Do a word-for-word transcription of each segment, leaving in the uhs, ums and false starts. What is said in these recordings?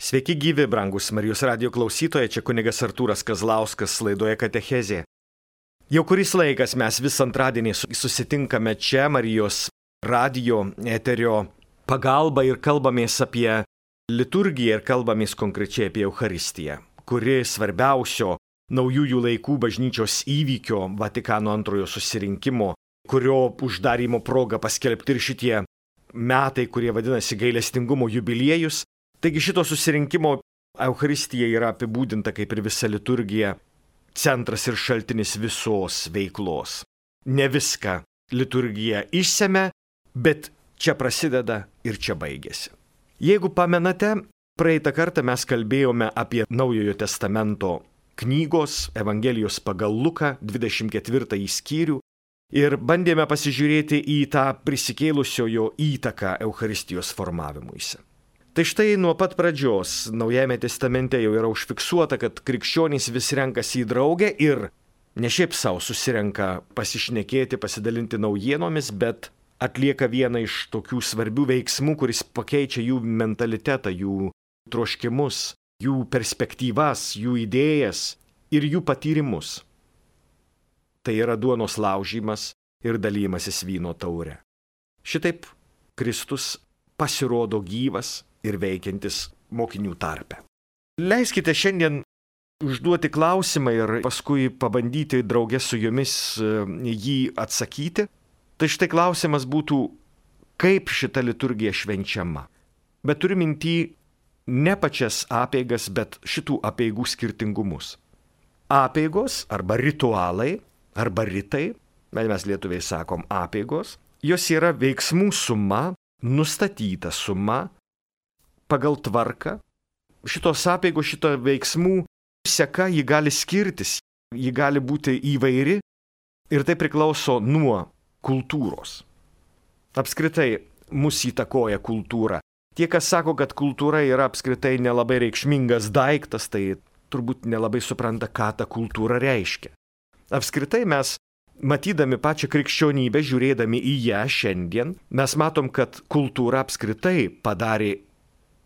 Sveiki gyvi, brangus Marijos radijo klausytojai, čia kunigas Artūras Kazlauskas laidoje Katechezė. Jau kuris laikas mes vis antradienį susitinkame čia Marijos radijo eterio pagalba ir kalbamės apie liturgiją ir kalbamės konkrečiai apie Eucharistiją, kuri svarbiausio naujųjų laikų bažnyčios įvykio Vatikano antrojo susirinkimo, kurio uždarymo proga paskelbti ir šitie metai, kurie vadinasi gailestingumo jubiliejus. Taigi šito susirinkimo Eucharistija yra apibūdinta kaip ir visa liturgija, centras ir šaltinis visos veiklos. Ne viską liturgija išsemia, bet čia prasideda ir čia baigėsi. Jeigu pamenate, praeitą kartą mes kalbėjome apie Naujojo testamento knygos Evangelijos pagal Luką dvidešimt ketvirtąjį skyrių ir bandėme pasižiūrėti į tą prisikėlusiojo įtaką Eucharistijos formavimuisi. Tai štai nuo pat pradžios Naujajame testamente jau yra užfiksuota, kad krikščionys vis renkasi į draugę ir ne šiaip savo susirenka pasišnekėti, pasidalinti naujienomis, bet atlieka vieną iš tokių svarbių veiksmų, kuris pakeičia jų mentalitetą, jų troškimus, jų perspektyvas, jų idėjas ir jų patyrimus. Tai yra duonos laužymas ir dalymasis vyno taure. Šitaip Kristus pasirodo gyvas ir veikiantis mokinių tarpe. Leiskite šiandien užduoti klausimą ir paskui pabandyti draugė su jumis jį atsakyti. Tai štai klausimas būtų, kaip šita liturgija švenčiama. Bet turiu minty ne pačias apeigas, bet šitų apeigų skirtingumus. Apeigos arba ritualai, arba ritai, mes lietuviai sakom apeigos, jos yra veiksmų suma, nustatyta suma, pagal tvarką. Šitos apeigos, šito veiksmų seka, ji gali skirtis, ji gali būti įvairi ir tai priklauso nuo kultūros. Apskritai mus įtakoja kultūra. Tie, kas sako, kad kultūra yra apskritai nelabai reikšmingas daiktas, tai turbūt nelabai supranta, ką ta kultūra reiškia. Apskritai mes, matydami pačią krikščionybę, žiūrėdami į ją šiandien, mes matom, kad kultūra apskritai padarė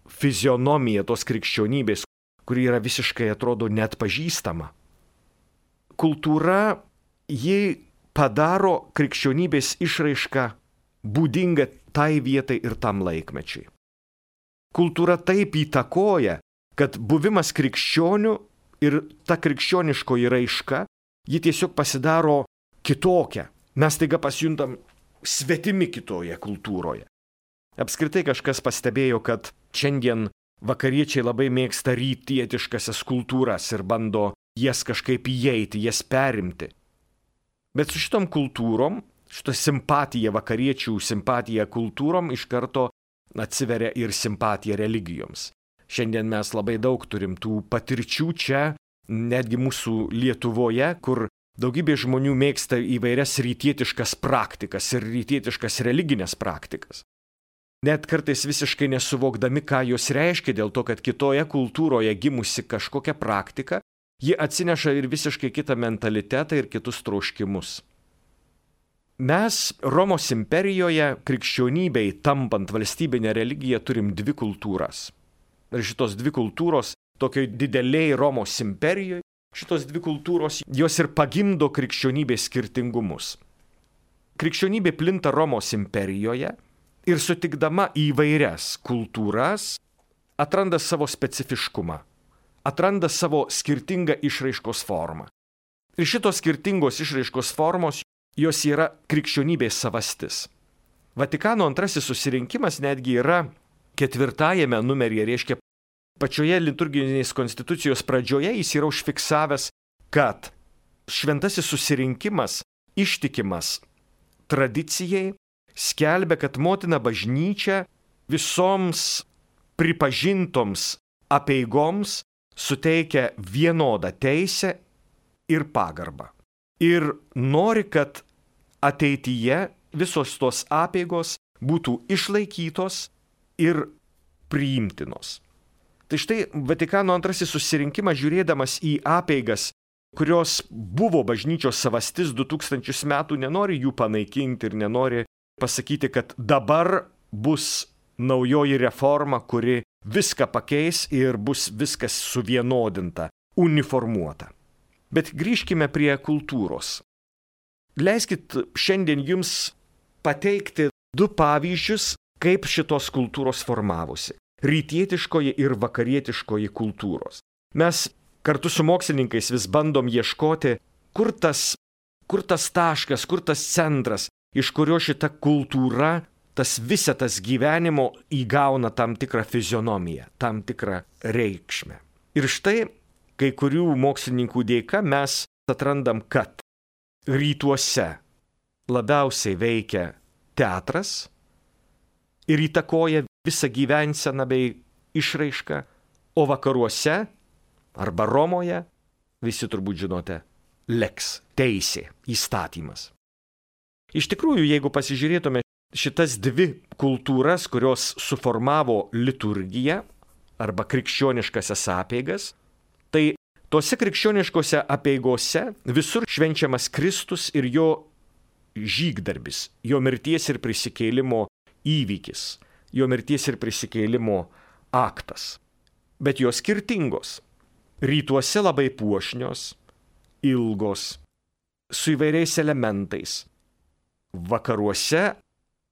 fizionomiją tos krikščionybės, kuri yra visiškai, atrodo, net pažįstama. Kultūra, ji padaro krikščionybės išraišką būdingą tai vietai ir tam laikmečiai. Kultūra taip įtakoja, kad buvimas krikščionių ir ta krikščioniškoji raiška, ji tiesiog pasidaro kitokia. Mes taiga pasijuntam svetimi kitoje kultūroje. Apskritai kažkas pastebėjo, kad šiandien vakariečiai labai mėgsta rytietiškasias kultūras ir bando jas kažkaip įeiti, jas perimti. Bet su šitom kultūrom, šita simpatija vakariečių, simpatija kultūrom iš karto atsiveria ir simpatija religijoms. Šiandien mes labai daug turim tų patirčių čia, netgi mūsų Lietuvoje, kur daugybė žmonių mėgsta įvairias rytietiškas praktikas ir rytietiškas religinės praktikas. Net kartais visiškai nesuvokdami, ką jos reiškia, dėl to, kad kitoje kultūroje gimusi kažkokia praktika, ji atsineša ir visiškai kitą mentalitetą ir kitus troškimus. Mes Romos imperijoje krikščionybei tampant valstybinę religiją turim dvi kultūras. Ir šitos dvi kultūros, tokioj dideliai Romos imperijoje, šitos dvi kultūros, jos ir pagimdo krikščionybės skirtingumus. Krikščionybė plinta Romos imperijoje ir sutikdama įvairias kultūras atranda savo specifiškumą, atranda savo skirtingą išraiškos formą. Ir šitos skirtingos išraiškos formos, jos yra krikščionybės savastis. Vatikano antrasis susirinkimas netgi yra ketvirtajame numeryje, reiškia pačioje liturginės konstitucijos pradžioje jis yra užfiksavęs, kad šventasis susirinkimas ištikimas tradicijai skelbia, kad motina bažnyčia visoms pripažintoms apeigoms suteikia vienodą teisę ir pagarbą. Ir nori, kad ateityje visos tos apeigos būtų išlaikytos ir priimtinos. Tai štai Vatikano antrasis susirinkimas, žiūrėdamas į apeigas, kurios buvo bažnyčios savastis du tūkstančius metų, nenori jų panaikinti ir nenori pasakyti, kad dabar bus naujoji reforma, kuri viską pakeis ir bus viskas suvienodinta, uniformuota. Bet grįžkime prie kultūros. Leiskit šiandien jums pateikti du pavyzdžius, kaip šitos kultūros formavosi. Rytietiškoji ir vakarietiškoji kultūros. Mes kartu su mokslininkais vis bandom ieškoti, kur tas, kur tas taškas, kur tas centras, iš kurio šita kultūra, tas visetas gyvenimo įgauna tam tikrą fizionomiją, tam tikrą reikšmę. Ir štai, kai kurių mokslininkų dėka mes atrandam, kad rytuose labiausiai veikia teatras ir įtakoja visą gyvenseną bei išraišką, o vakaruose arba Romoje, visi turbūt žinote, lex, teisė, įstatymas. Iš tikrųjų, jeigu pasižiūrėtume šitas dvi kultūras, kurios suformavo liturgiją arba krikščioniškasias apeigas, tai tose krikščioniškose apeigose visur švenčiamas Kristus ir jo žygdarbis, jo mirties ir prisikėlimo įvykis, jo mirties ir prisikėlimo aktas. Bet jos skirtingos. Rytuose labai puošnios, ilgos, su įvairiais elementais. Vakaruose,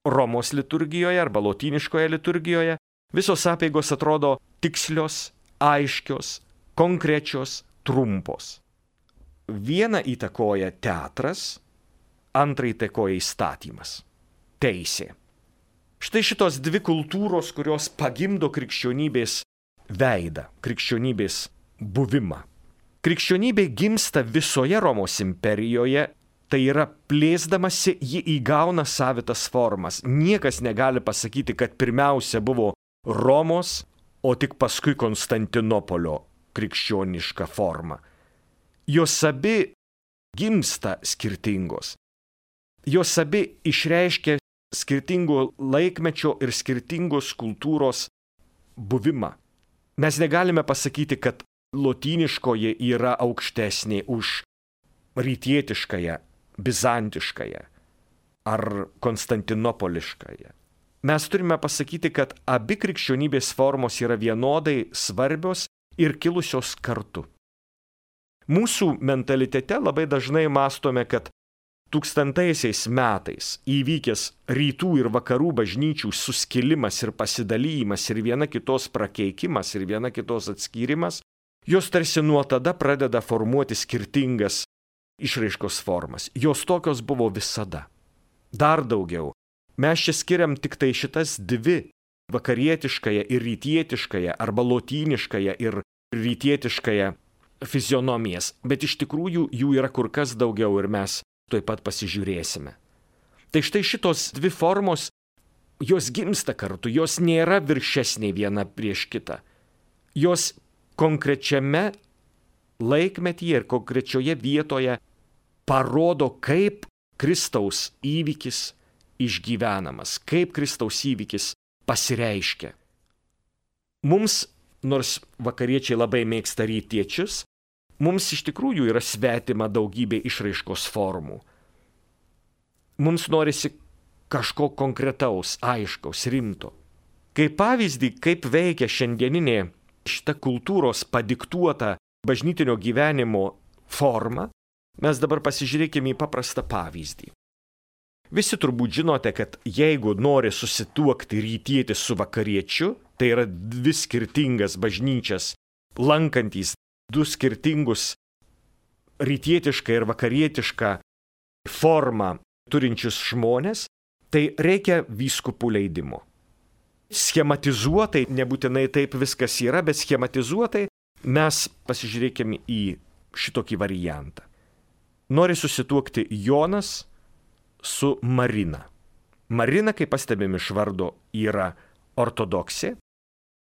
Romos liturgijoje arba lotyniškoje liturgijoje visos apeigos atrodo tikslios, aiškios, konkrečios, trumpos. Vieną įtakoja teatras, antrą įtakoja įstatymas, teisė. Štai šitos dvi kultūros, kurios pagimdo krikščionybės veidą, krikščionybės buvimą. Krikščionybė gimsta visoje Romos imperijoje, tai yra plėsdamasi, ji įgauna savitas formas. Niekas negali pasakyti, kad pirmiausia buvo Romos, o tik paskui Konstantinopolio krikščioniška forma. Jos abi gimsta skirtingos. Jos abi išreiškia skirtingo laikmečio ir skirtingos kultūros buvimą. Mes negalime pasakyti, kad lotyniškoji yra aukštesnė už rytietiškąją, bizantiškąją ar konstantinopoliškąją. Mes turime pasakyti, kad abi krikščionybės formos yra vienodai svarbios ir kilusios kartu. Mūsų mentalitete labai dažnai mąstome, kad tūkstantaisiais metais įvykęs rytų ir vakarų bažnyčių suskilimas ir pasidalymas ir viena kitos prakeikimas ir viena kitos atskyrimas, jos tarsi nuo tada pradeda formuoti skirtingas išraiškos formas. Jos tokios buvo visada. Dar daugiau. Mes čia skiriam tik tai šitas dvi – vakarietiškąją ir rytietiškąją arba lotyniškąją ir rytietiškąją fizionomijas, bet iš tikrųjų jų yra kur kas daugiau ir mes tuoj pat pasižiūrėsime. Tai štai šitos dvi formos, jos gimsta kartu, jos nėra viršesnė viena prieš kitą. Jos konkrečiame laikmetyje ir konkrečioje vietoje parodo, kaip Kristaus įvykis išgyvenamas, kaip Kristaus įvykis pasireiškia. Mums, nors vakariečiai labai mėgsta rytiečius, mums iš tikrųjų yra svetima daugybė išraiškos formų. Mums norisi kažko konkretaus, aiškaus, rimto. Kaip pavyzdį, kaip veikia šiandieninė šita kultūros padiktuota bažnytinio gyvenimo forma, mes dabar pasižiūrėkime į paprastą pavyzdį. Visi turbūt žinote, kad jeigu nori susituokti rytietis su vakariečiu, tai yra dvi skirtingas bažnyčias, lankantys du skirtingus rytietišką ir vakarietišką formą turinčius žmonės, tai reikia vyskupų leidimo. Schematizuotai, nebūtinai taip viskas yra, bet schematizuotai mes pasižiūrėkime į šitokį variantą. Nori susituokti Jonas su Marina. Marina, kaip pastebėm iš vardo, yra ortodoksė,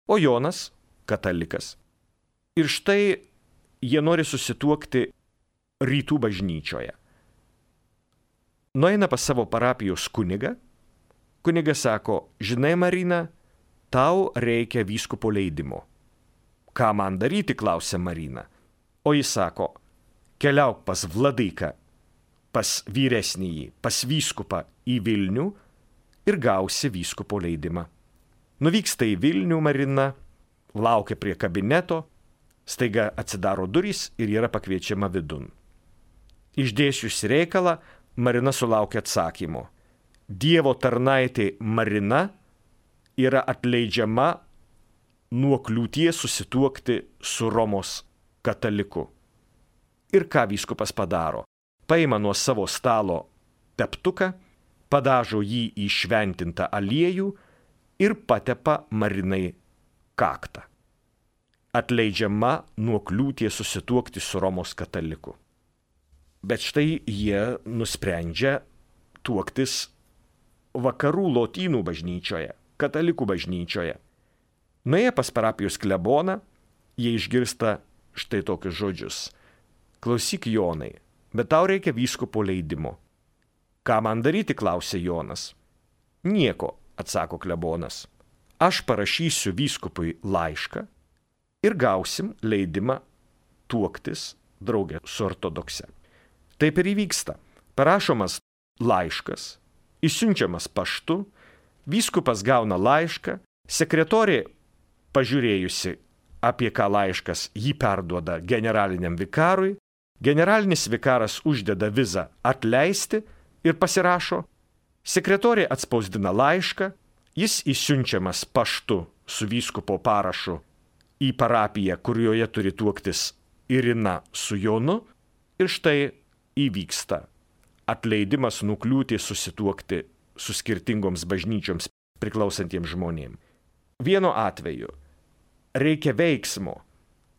o Jonas katalikas. Ir štai jie nori susituokti rytų bažnyčioje. Nueina pas savo parapijos kunigą. Kunigas sako, žinai Marina, tau reikia vyskupo leidimo. Ką man daryti, klausia Marina. O jis sako, keliauk pas vladyką, pas vyresnįjį, pas vyskupą į Vilnių ir gausi vyskupo leidimą. Nuvyksta į Vilnių Marina, laukia prie kabineto, staiga atsidaro durys ir yra pakviečiama vidun. Išdėsčiusi reikalą, Marina sulaukia atsakymo. Dievo tarnaitė Marina yra atleidžiama nuo kliūties susituokti su Romos kataliku. Ir ką vyskupas padaro? Paima nuo savo stalo teptuką, padažo jį į šventintą aliejų ir patepa Marinai kaktą. Atleidžiama nuo kliūties susituokti su Romos kataliku. Bet štai jie nusprendžia tuoktis vakarų lotynų bažnyčioje, katalikų bažnyčioje. Nuėję pas parapijos kleboną, jie išgirsta štai tokius žodžius. Klausyk, Jonai, bet tau reikia vyskupo leidimo. Ką man daryti, klausė Jonas. Nieko, atsako klebonas. Aš parašysiu vyskupui laišką ir gausim leidimą tuoktis draugė su ortodokse. Taip ir įvyksta. Parašomas laiškas, išsiunčiamas paštu, vyskupas gauna laišką, sekretorė, pažiūrėjusi, apie ką laiškas, jį perduoda generaliniam vikarui, generalinis vikaras uždeda vizą atleisti ir pasirašo, sekretorė atspausdina laišką, jis išsiunčiamas paštu su vyskupo parašu į parapiją, kurioje turi tuoktis Irina su Jonu, ir štai įvyksta atleidimas nuo kliūties susituokti su skirtingoms bažnyčioms priklausantiems žmonėms. Vienu atveju reikia veiksmo,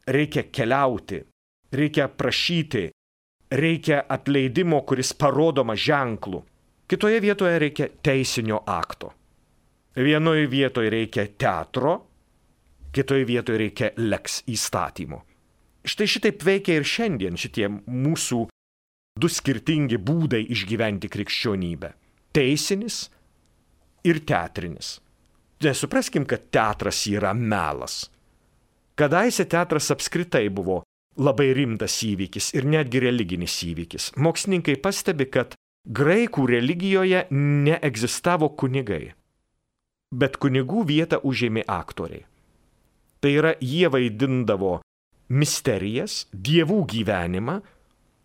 reikia keliauti, reikia prašyti, reikia atleidimo, kuris parodoma ženklu. Kitoje vietoje reikia teisinio akto. Vienoje vietoje reikia teatro, kitoje vietoje reikia leks įstatymo. Štai šitaip veikia ir šiandien šitie mūsų du skirtingi būdai išgyventi krikščionybę. Teisinis ir teatrinis. Nesupraskim, kad teatras yra melas. Kadaise teatras apskritai buvo labai rimtas įvykis ir netgi religinis įvykis. Mokslininkai pastebi, kad graikų religijoje neegzistavo kunigai, bet kunigų vietą užėmė aktoriai. Tai yra, jie vaidindavo misterijas, dievų gyvenimą.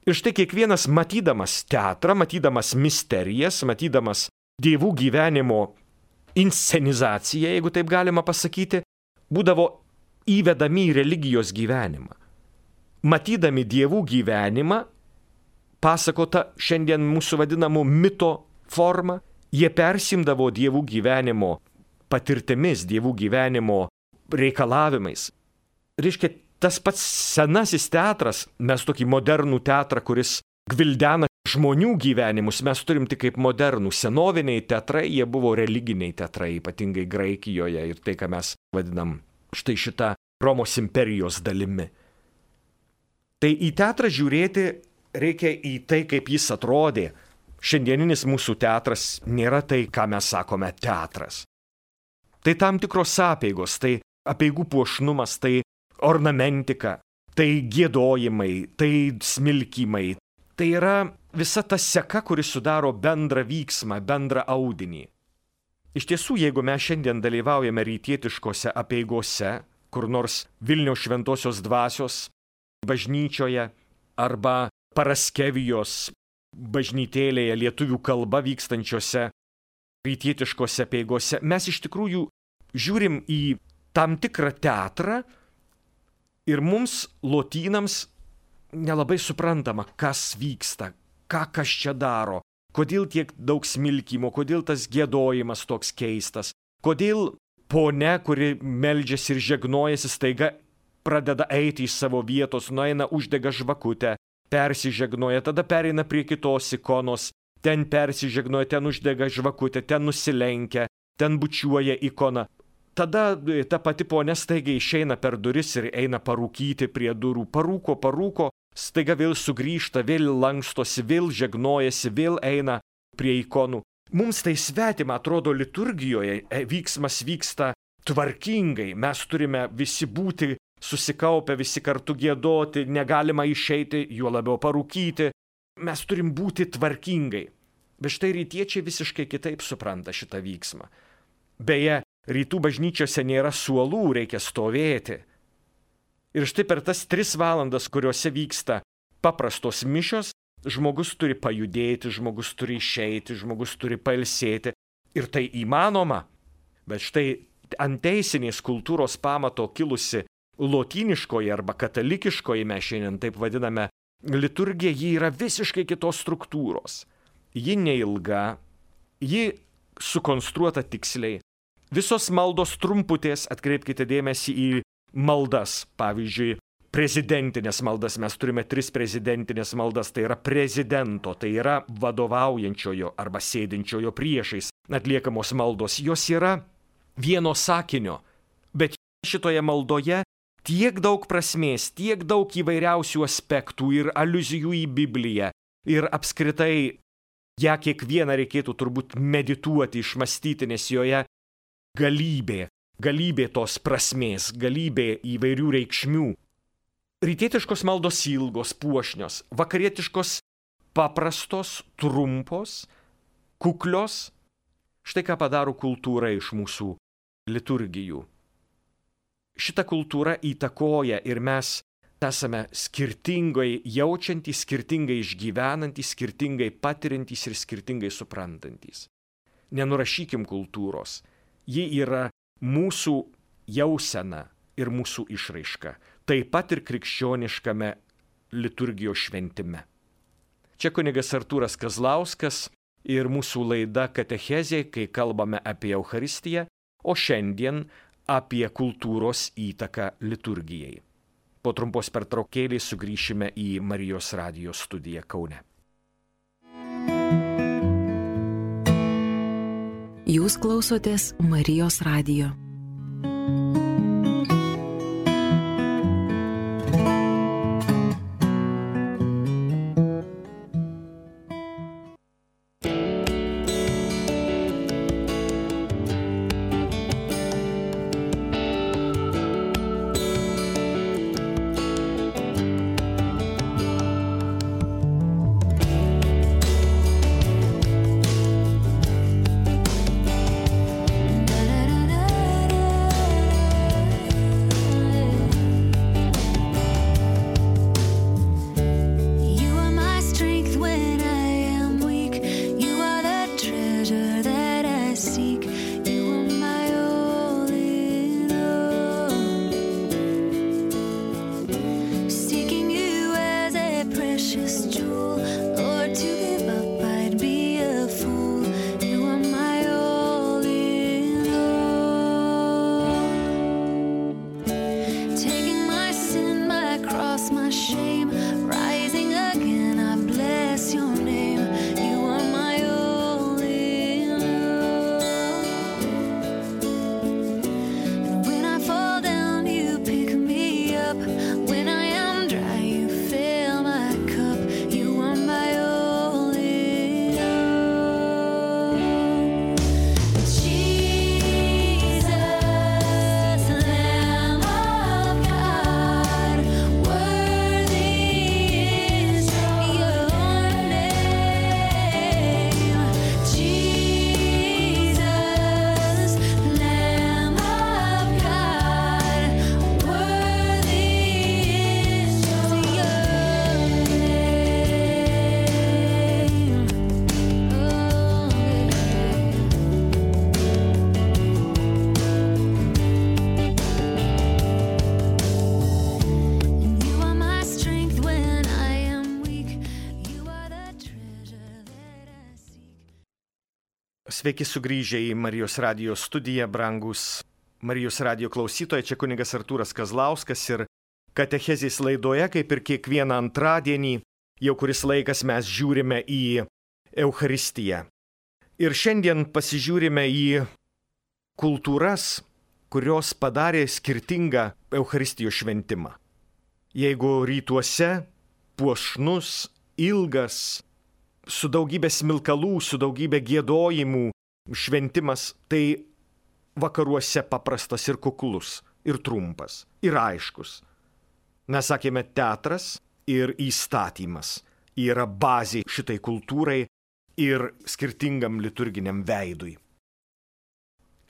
Ir štai kiekvienas matydamas teatrą, matydamas misterijas, matydamas dievų gyvenimo inscenizaciją, jeigu taip galima pasakyti, būdavo įvedami į religijos gyvenimą. Matydami dievų gyvenimą, pasakota šiandien mūsų vadinamų mito forma, jie persimdavo dievų gyvenimo patirtimis, dievų gyvenimo reikalavimais. Reiškia, tas pats senasis teatras, mes tokį modernų teatrą, kuris gvildena žmonių gyvenimus, mes turim tik kaip modernų. Senoviniai teatrai, jie buvo religiniai teatrai, ypatingai Graikijoje ir tai, ką mes vadinam štai šitą Romos imperijos dalimi. Tai į teatrą žiūrėti reikia į tai, kaip jis atrodė. Šiandieninis mūsų teatras nėra tai, ką mes sakome teatras. Tai tam tikros apeigos, tai apeigų puošnumas, tai ornamentika, tai giedojimai, tai smilkymai. Tai yra visa ta seka, kuri sudaro bendrą vyksmą, bendrą audinį. Iš tiesų, jeigu mes šiandien dalyvaujame rytietiškose apeigose, kur nors Vilniaus šventosios dvasios bažnyčioje arba Paraskevijos bažnytėlėje lietuvių kalba vykstančiose rytietiškose apeigose, mes iš tikrųjų žiūrim į tam tikrą teatrą ir mums, lotynams, nelabai suprantama, kas vyksta, ką kas čia daro, kodėl tiek daug smilkymo, kodėl tas giedojimas toks keistas, kodėl ponia, kuri meldžiasi ir žegnojasi, staiga pradeda eiti iš savo vietos, nueina, uždega žvakutę, persižegnoja, tada pereina prie kitos ikonos, ten persižegnoja, ten uždega žvakutę, ten nusilenkia, ten bučiuoja ikoną. Tada ta pati ponia staiga išeina per duris ir eina parūkyti prie durų. Parūko, parūko, staiga vėl sugrįžta, vėl lankstosi, vėl žegnojasi, vėl eina prie ikonų. Mums tai svetima, atrodo, liturgijoje vyksmas vyksta tvarkingai. Mes turime visi būti susikaupę, visi kartu giedoti, negalima išeiti, juo labiau parūkyti. Mes turim būti tvarkingai. Bet štai rytiečiai visiškai kitaip supranta šitą vyksmą. Beje, rytų bažnyčiose nėra suolų, reikia stovėti. Ir štai per tas tris valandas, kuriuose vyksta paprastos mišios, žmogus turi pajudėti, žmogus turi išeiti, žmogus turi pailsėti. Ir tai įmanoma. Bet štai ant teisinės kultūros pamato kilusi lotyniškoji arba katalikiškoji, mes šiandien taip vadiname, liturgija, ji yra visiškai kitos struktūros. Ji neilga, ji sukonstruota tiksliai. Visos maldos trumputės, atkreipkite dėmesį į maldas, pavyzdžiui, prezidentinės maldas, mes turime tris prezidentinės maldas, tai yra prezidento, tai yra vadovaujančiojo arba sėdinčiojo priešais atliekamos maldos, jos yra vieno sakinio, bet šitoje maldoje tiek daug prasmės, tiek daug įvairiausių aspektų ir aliuzijų į Bibliją ir apskritai ją kiekvieną reikėtų turbūt medituoti, išmastyti, nes joje galybė, galybė tos prasmės, galybė įvairių reikšmių. Rytietiškos maldos ilgos, puošnios, vakarietiškos paprastos, trumpos, kuklios. Štai ką padaro kultūra iš mūsų liturgijų. Šita kultūra įtakoja ir mes esame skirtingai jaučiantys, skirtingai išgyvenantys, skirtingai patiriantys ir skirtingai suprantantys. Nenurašykim kultūros. Ji yra mūsų jausena ir mūsų išraiška, taip pat ir krikščioniškame liturgijos šventime. Čia kunigas Artūras Kazlauskas ir mūsų laida Katechezė, kai kalbame apie Eucharistiją, o šiandien apie kultūros įtaką liturgijai. Po trumpos pertraukėlės sugrįšime į Marijos radijo studiją Kaune. Jūs klausotės Marijos radijo. Sveiki sugrįžę į Marijos radijo studiją, brangus Marijos radijo klausytojai, čia kunigas Artūras Kazlauskas ir Katechezės laidoje, kaip ir kiekvieną antradienį, jau kuris laikas mes žiūrime į Eucharistiją. Ir šiandien pasižiūrime į kultūras, kurios padarė skirtingą Eucharistijos šventimą. Jeigu rytuose puošnus, ilgas, su daugybė smilkalų, su daugybė giedojimų šventimas, tai vakaruose paprastas ir kuklus, ir trumpas, ir aiškus. Mes sakėme, teatras ir įstatymas yra bazė šitai kultūrai ir skirtingam liturginiam veidui.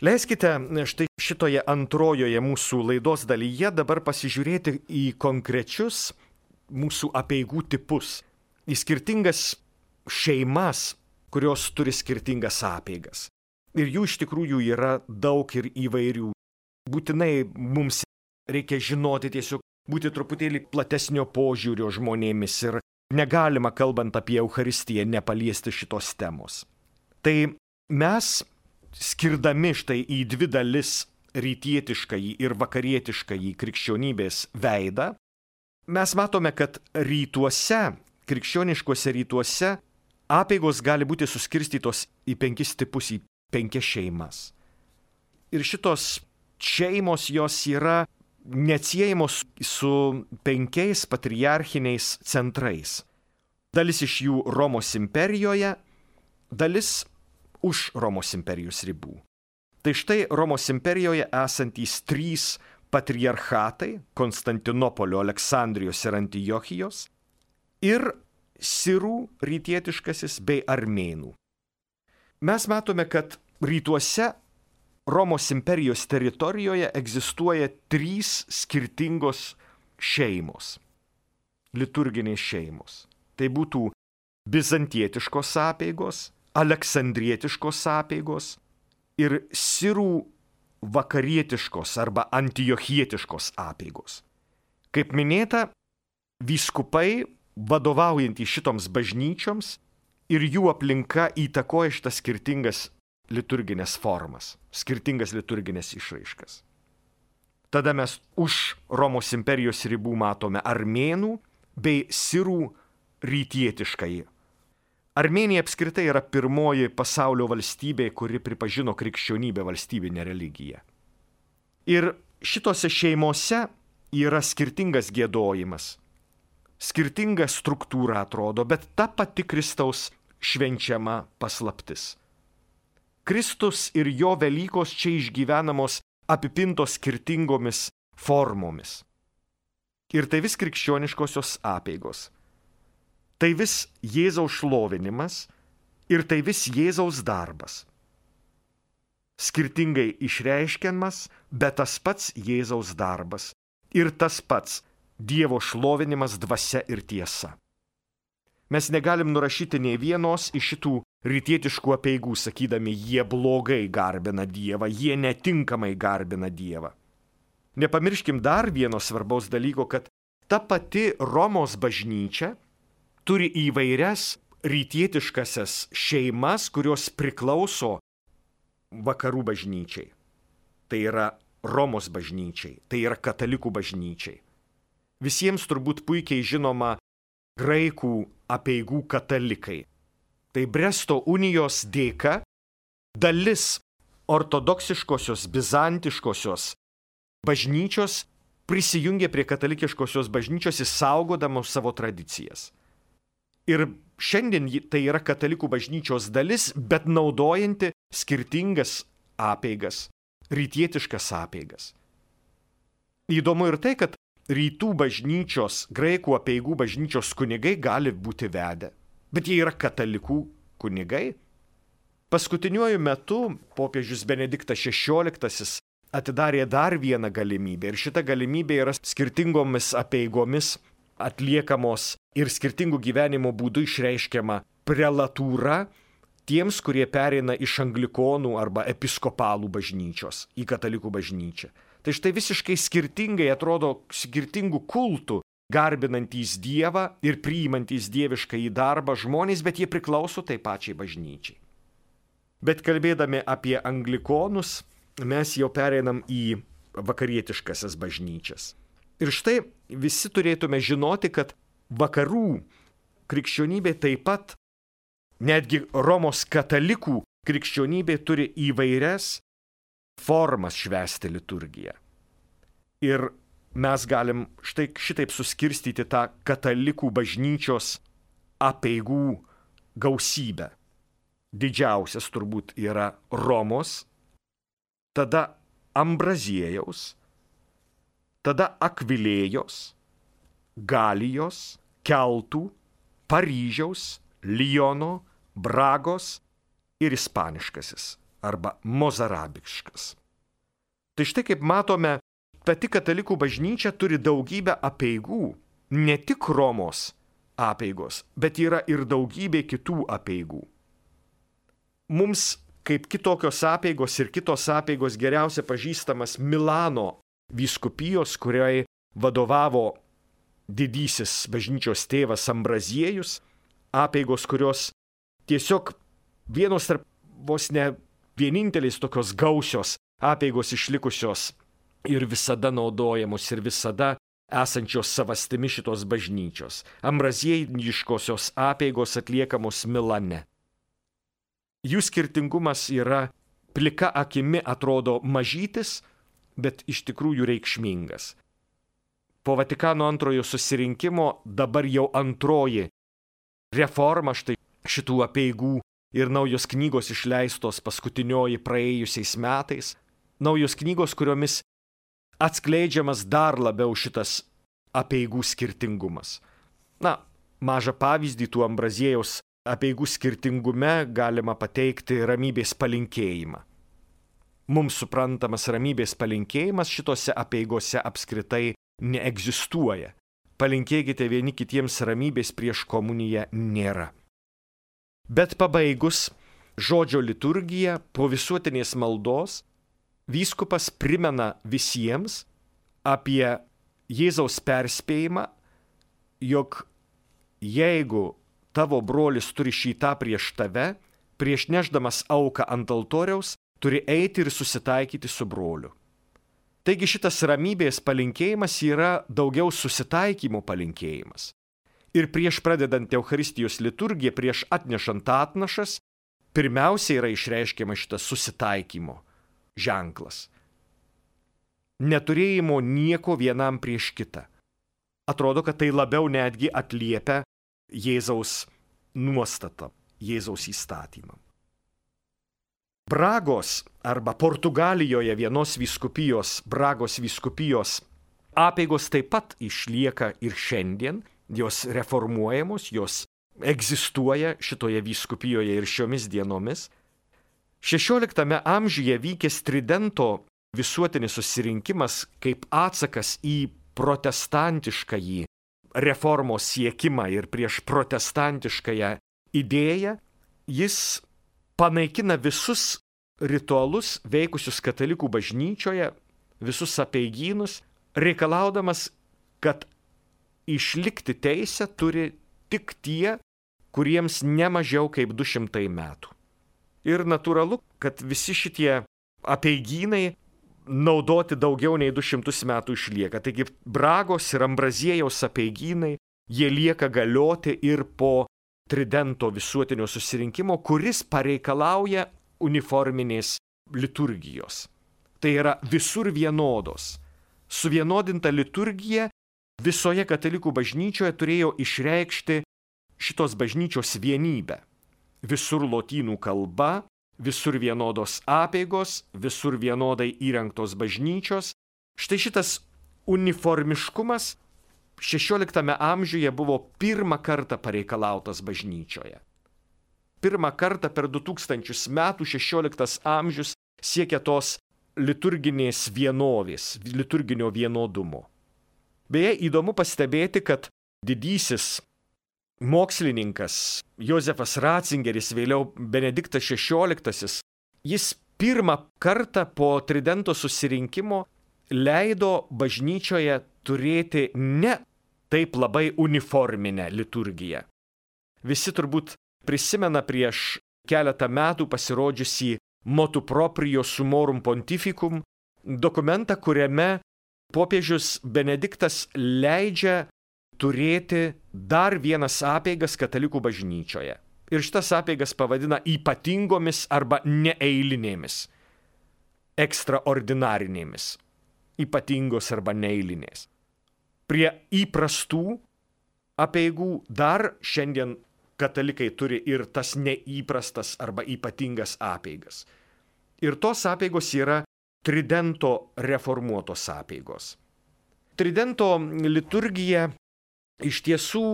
Leiskite štai šitoje antrojoje mūsų laidos dalyje dabar pasižiūrėti į konkrečius mūsų apeigų tipus, į skirtingas šeimas, kurios turi skirtingas apeigas. Ir jų iš tikrųjų yra daug ir įvairių. Būtinai mums reikia žinoti, tiesiog būti truputėlį platesnio požiūrio žmonėmis ir negalima, kalbant apie Eucharistiją, nepaliesti šitos temos. Tai mes, skirdami štai į dvi dalis rytietiškąjį ir vakarietiškąjį krikščionybės veidą, mes matome, kad rytuose, krikščioniškuose rytuose, apeigos gali būti suskirstytos į penkis tipus, į penkias šeimas. Ir šitos šeimos jos yra neatsiejamos su penkiais patriarchiniais centrais. Dalis iš jų Romos imperijoje, dalis už Romos imperijos ribų. Tai štai Romos imperijoje esantys trys patriarchatai – Konstantinopolio, Aleksandrijos ir Antiochijos ir Sirų rytietiškasis bei Armėnų. Mes matome, kad rytuose Romos imperijos teritorijoje egzistuoja trys skirtingos šeimos, liturginės šeimos. Tai būtų bizantietiškos apeigos, aleksandrietiškos apeigos ir sirų vakarietiškos arba antiochietiškos apeigos. Kaip minėta, vyskupai, vadovaujantys šitoms bažnyčioms ir jų aplinka įtakoja šitas skirtingas liturginės formas, skirtingas liturginės išraiškas. Tada mes už Romos imperijos ribų matome armėnų bei sirų rytietiškąjį. Armėnija apskritai yra pirmoji pasaulio valstybė, kuri pripažino krikščionybę valstybinę religiją. Ir šitose šeimose yra skirtingas giedojimas, skirtinga struktūra atrodo, bet ta pati Kristaus švenčiama paslaptis. Kristus ir jo Velykos čia išgyvenamos apipintos skirtingomis formomis. Ir tai vis krikščioniškosios apeigos. Tai vis Jėzaus šlovinimas ir tai vis Jėzaus darbas. Skirtingai išreiškiamas, bet tas pats Jėzaus darbas ir tas pats Dievo šlovinimas dvasia ir tiesa. Mes negalim nurašyti nei vienos iš šitų rytietiškų apeigų, sakydami, jie blogai garbina Dievą, jie netinkamai garbina Dievą. Nepamirškim dar vieno svarbaus dalyko, kad ta pati Romos bažnyčia turi įvairias rytietiškasias šeimas, kurios priklauso vakarų bažnyčiai. Tai yra Romos bažnyčiai, tai yra katalikų bažnyčiai. Visiems turbūt puikiai žinoma graikų apeigų katalikai. Tai Bresto unijos dėka dalis ortodoksiškosios, bizantiškosios bažnyčios prisijungė prie katalikiškosios bažnyčios įsaugodamos savo tradicijas. Ir šiandien tai yra katalikų bažnyčios dalis, bet naudojanti skirtingas apeigas, rytietiškas apeigas. Įdomu ir tai, kad rytų bažnyčios, graikų apeigų bažnyčios kunigai gali būti vedę, bet jie yra katalikų kunigai. Paskutiniuoju metu popiežius Benediktas šešioliktasis atidarė dar vieną galimybę ir šita galimybė yra skirtingomis apeigomis atliekamos ir skirtingų gyvenimo būdų išreiškiama prelatūra tiems, kurie pereina iš anglikonų arba episkopalų bažnyčios į katalikų bažnyčią. Tai štai visiškai skirtingai atrodo skirtingų kultų garbinantys Dievą ir priimantys dievišką į darbą žmonės, bet jie priklauso tai pačiai bažnyčiai. Bet kalbėdami apie anglikonus, mes jau pereinam į vakarietiškasias bažnyčias. Ir štai visi turėtume žinoti, kad vakarų krikščionybė taip pat, netgi Romos katalikų krikščionybė turi įvairias formas švęsti liturgiją. Ir mes galim štai šitaip suskirstyti tą katalikų bažnyčios apeigų gausybę. Didžiausias turbūt yra Romos, tada Ambraziejaus, tada Akvilėjos, Galijos, Keltų, Paryžiaus, Liono, Bragos ir ispaniškasis arba mozarabiškas. Tai štai kaip matome, pati katalikų bažnyčia turi daugybę apeigų, ne tik Romos apeigos, bet yra ir daugybė kitų apeigų. Mums kaip kitokios apeigos ir kitos apeigos geriausia pažįstamas Milano vyskupijos, kuriai vadovavo didysis bažnyčios tėvas Ambraziejus, apeigos, kurios tiesiog vienos tarp vos ne vienintelės tokios gausios apeigos išlikusios ir visada naudojamos ir visada esančios savastimi šitos bažnyčios. Ambraziejiškosios apeigos atliekamos Milane. Jų skirtingumas yra plika akimi atrodo mažytis, bet iš tikrųjų reikšmingas. Po Vatikano antrojo susirinkimo dabar jau antroji reforma štai šitų apeigų ir naujos knygos išleistos paskutinioji praėjusiais metais. Naujos knygos, kuriomis atskleidžiamas dar labiau šitas apeigų skirtingumas. Na, mažą pavyzdį tų Ambraziejaus apeigų skirtingume galima pateikti ramybės palinkėjimą. Mums suprantamas ramybės palinkėjimas šitose apeigose apskritai neegzistuoja. Palinkėkite vieni kitiems ramybės prieš komuniją nėra. Bet pabaigus žodžio liturgiją po visuotinės maldos, vyskupas primena visiems apie Jėzaus perspėjimą, jog jeigu tavo brolis turi šį tą prieš tave, prieš nešdamas auką ant altoriaus, turi eiti ir susitaikyti su broliu. Taigi šitas ramybės palinkėjimas yra daugiau susitaikymo palinkėjimas. Ir prieš pradedant Eucharistijos liturgiją, prieš atnešant atnašas, pirmiausia yra išreiškiama šitas susitaikymo ženklas. Neturėjimo nieko vienam prieš kitą. Atrodo, kad tai labiau netgi atliepia Jėzaus nuostatą, Jėzaus įstatymą. Bragos arba Portugalijoje vienos vyskupijos, Bragos vyskupijos apeigos taip pat išlieka ir šiandien, jos reformuojamos, jos egzistuoja šitoje vyskupijoje ir šiomis dienomis. šešioliktame amžiuje vykęs Tridento visuotinis susirinkimas kaip atsakas į protestantiškąjį reformos siekimą ir prieš protestantiškąją idėją, jis panaikina visus ritualus veikusius katalikų bažnyčioje, visus apeigynus, reikalaudamas, kad išlikti teisę turi tik tie, kuriems ne mažiau kaip du šimtai metų. Ir natūralu, kad visi šitie apeigynai naudoti daugiau nei du šimtus metų išlieka. Taigi Bragos ir Ambraziejaus apeigynai, jie lieka galioti ir po Tridento visuotinio susirinkimo, kuris pareikalauja uniforminės liturgijos. Tai yra visur vienodos. Suvienodinta liturgija visoje katalikų bažnyčioje turėjo išreikšti šitos bažnyčios vienybę. Visur lotynų kalba, visur vienodos apeigos, visur vienodai įrengtos bažnyčios. Štai šitas uniformiškumas šešioliktame amžiuje buvo pirmą kartą pareikalautas bažnyčioje. Pirmą kartą per du tūkstančius metų šešioliktas amžius siekia tos liturginės vienovės, liturginio vienodumo. Beje, įdomu pastebėti, kad didysis mokslininkas Jozefas Ratzingeris, vėliau Benediktas šešioliktasis, jis pirmą kartą po Tridento susirinkimo leido bažnyčioje turėti ne taip labai uniforminę liturgiją. Visi turbūt prisimena prieš keletą metų pasirodžiusį Motu proprio sumorum pontificum dokumentą, kuriame popiežius Benediktas leidžia turėti dar vienas apeigas katalikų bažnyčioje. Ir šitas apeigas pavadina ypatingomis arba neeilinėmis, ekstraordinarinėmis, ypatingos arba neeilinės. Prie įprastų apeigų dar šiandien katalikai turi ir tas neįprastas arba ypatingas apeigas. Ir tos apeigos yra Tridento reformuotos apeigos. Tridento liturgija iš tiesų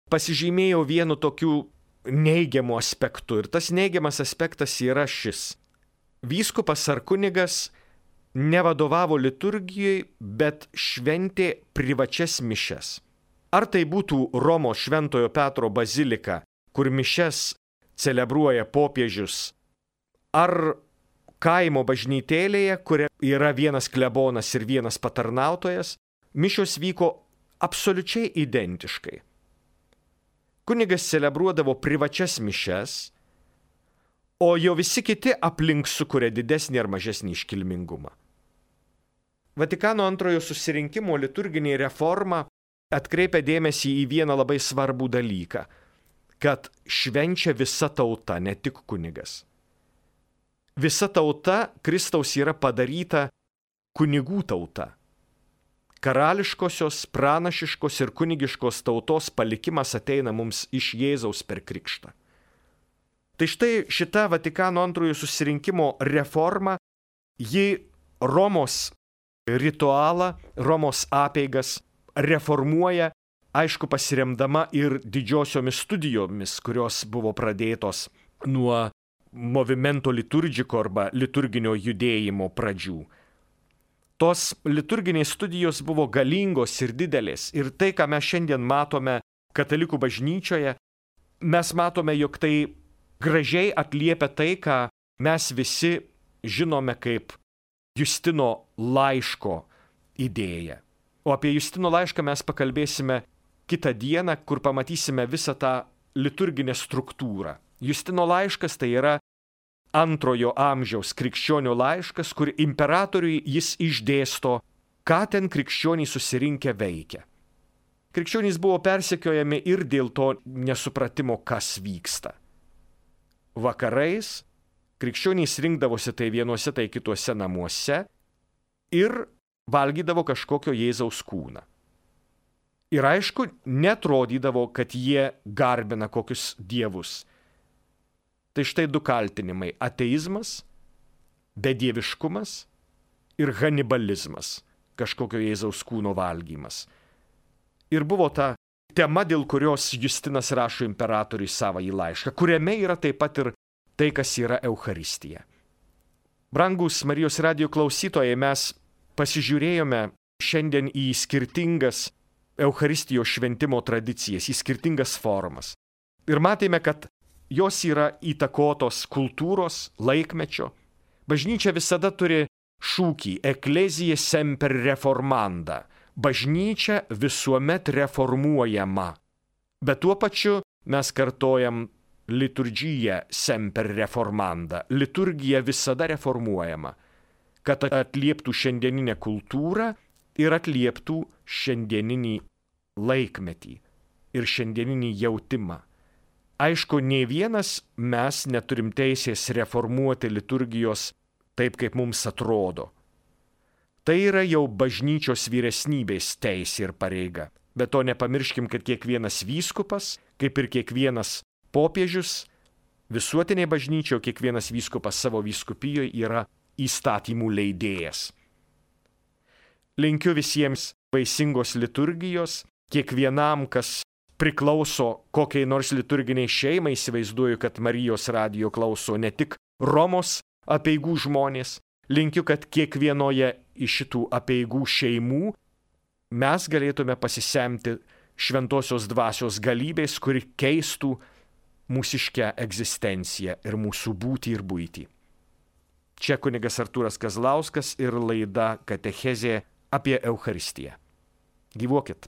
pasižymėjo vienu tokiu neigiamu aspektu. Ir tas neigiamas aspektas yra šis. vyskupas ar kunigas nevadovavo liturgijai, bet šventė privačias mišias. Ar tai būtų Romos Šventojo Petro bazilika, kur mišias celebruoja popiežius, ar kaimo bažnytėlėje, kur yra vienas klebonas ir vienas patarnautojas, mišios vyko absoliučiai identiškai. Kunigas celebruodavo privačias mišias, o jo visi kiti aplink sukuria didesnį ar mažesnį iškilmingumą. Vatikano antrojo susirinkimo liturginė reforma atkreipia dėmesį į vieną labai svarbų dalyką, kad švenčia visa tauta, ne tik kunigas. Visa tauta Kristaus yra padaryta kunigų tauta. Karališkosios, pranašiškos ir kunigiškos tautos palikimas ateina mums iš Jėzaus per krikštą. Tai štai šita Vatikano antrojo susirinkimo reforma, ji Romos ritualą, Romos apeigas reformuoja, aišku, pasiremdama ir didžiosiomis studijomis, kurios buvo pradėtos nuo movimento liturgiko arba liturginio judėjimo pradžių. Tos liturginės studijos buvo galingos ir didelės. Ir tai, ką mes šiandien matome katalikų bažnyčioje, mes matome, jog tai gražiai atliepia tai, ką mes visi žinome kaip Justino laiško idėją. O apie Justino laišką mes pakalbėsime kitą dieną, kur pamatysime visą tą liturginę struktūrą. Justino laiškas tai yra antrojo amžiaus krikščionių laiškas, kur imperatoriui jis išdėsto, ką ten krikščionys susirinkę veikia. Krikščionys buvo persekiojami ir dėl to nesupratimo, kas vyksta. Vakarais krikščionys rinkdavosi tai vienuose, tai kituose namuose ir valgydavo kažkokio Jėzaus kūną. Ir aišku, netrodydavo, kad jie garbina kokius dievus. Tai štai du kaltinimai – ateizmas, bedieviškumas ir hanibalizmas, kažkokio Jėzaus kūno valgymas. Ir buvo ta tema, dėl kurios Justinas rašo imperatoriui savąjį laišką, kuriame yra taip pat ir tai, kas yra Eucharistija. Brangūs Marijos radijo klausytojai, mes pasižiūrėjome šiandien į skirtingas Eucharistijos šventimo tradicijas, į skirtingas formas. Ir matėme, kad jos yra įtakotos kultūros, laikmečio. Bažnyčia visada turi šūkį Ecclesia semper reformanda. Bažnyčia visuomet reformuojama. Bet tuo pačiu mes kartojam liturgija semper reformanda. Liturgija visada reformuojama, kad atlieptų šiandieninę kultūrą ir atlieptų šiandieninį laikmetį ir šiandieninį jautimą. Aišku, nei vienas mes neturim teisės reformuoti liturgijos taip, kaip mums atrodo. Tai yra jau bažnyčios vyresnybės teisė ir pareiga. Bet to nepamirškim, kad kiekvienas vyskupas, kaip ir kiekvienas popiežius, visuotiniai bažnyčioje kiekvienas vyskupas savo vyskupijoje yra įstatymų leidėjas. Linkiu visiems vaisingos liturgijos, kiekvienam, kas priklauso kokiai nors liturginiai šeimai, įsivaizduoju, kad Marijos radijo klauso ne tik Romos apeigų žmonės. Linkiu, kad kiekvienoje iš šitų apeigų šeimų mes galėtume pasisemti šventosios dvasios galybės, kuri keistų mūsiškę egzistenciją ir mūsų būtį ir buitį. Čia kunigas Artūras Kazlauskas ir laida Katechezė apie Eucharistiją. Gyvuokit!